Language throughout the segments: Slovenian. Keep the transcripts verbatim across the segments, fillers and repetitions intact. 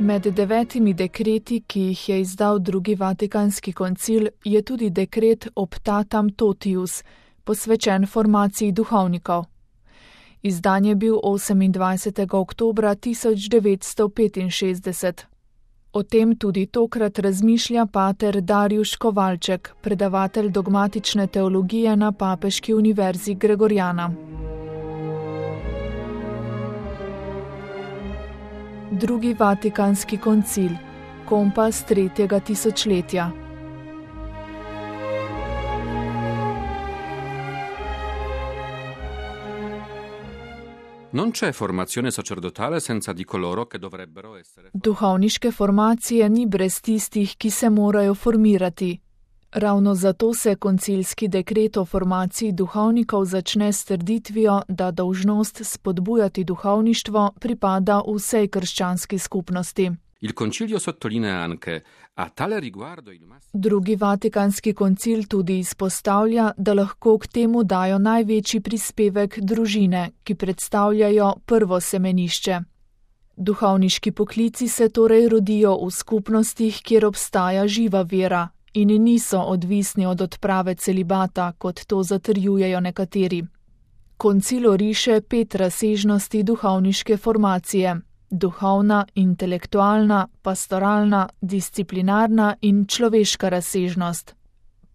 Med devetimi dekreti, ki jih je izdal drugi Vatikanski koncil, je tudi dekret Optatam Totius, posvečen formaciji duhovnikov. Izdan je bil osemindvajsetega oktobra tisoč devetsto petinšestdeset. O tem tudi tokrat razmišlja pater Darjuš Kovalček, predavatelj dogmatične teologije na Papeški univerzi Gregorjana. Drugi Vatikanski koncil, kompas tretjega tisočletja. Non c'è formazione sacerdotale senza di coloro che dovrebbero essere. Duhovniške formacije ni brez tistih, ki se morajo formirati. Ravno zato se koncilski dekret o formaciji duhovnikov začne s trditvijo, da dolžnost spodbujati duhovništvo pripada vsej krščanski skupnosti. Il concilio sottolinea anche a tale riguardo il massimo. Drugi Vatikanski koncil tudi izpostavlja, da lahko k temu dajo največji prispevek družine, ki predstavljajo prvo semenišče. Duhovniški poklici se torej rodijo v skupnostih, kjer obstaja živa vera in niso odvisni od odprave celibata, kot to zatrjujejo nekateri. Koncil oriše pet razsežnosti duhovniške formacije: duhovna, intelektualna, pastoralna, disciplinarna in človeška razsežnost.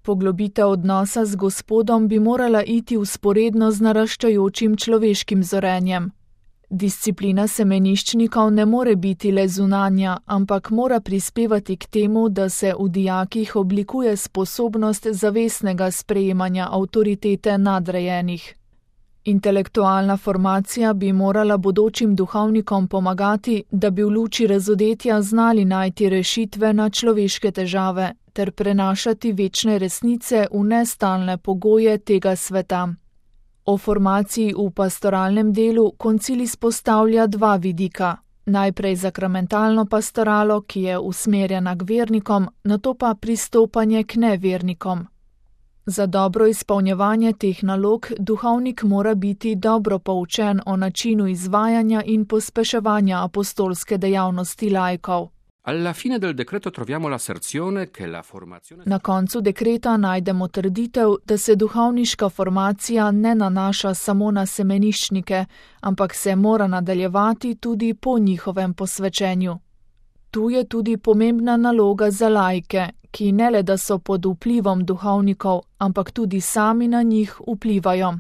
Poglobitev odnosa z Gospodom bi morala iti vzporedno z naraščajočim človeškim zorenjem. Disciplina semeniščnikov ne more biti le zunanja, ampak mora prispevati k temu, da se v dijakih oblikuje sposobnost zavestnega sprejemanja avtoritete nadrejenih. Intelektualna formacija bi morala bodočim duhovnikom pomagati, da bi v luči razodetja znali najti rešitve na človeške težave ter prenašati večne resnice v nestalne pogoje tega sveta. O formaciji v pastoralnem delu koncil izpostavlja dva vidika. Najprej sakramentalno pastoralo, ki je usmerjena k vernikom, nato pa pristopanje k nevernikom. Za dobro izpolnjevanje teh nalog duhovnik mora biti dobro poučen o načinu izvajanja in pospeševanja apostolske dejavnosti laikov. Alla fine del decreto troviamo l'asserzione che la formazione. Na koncu dekreta najdemo trditev, da se duhovniška formacija ne nanaša samo na semeniščnike, ampak se mora nadaljevati tudi po njihovem posvečenju. Tu je tudi pomembna naloga za laike, ki ne le da so pod vplivom duhovnikov, ampak tudi sami na njih vplivajo.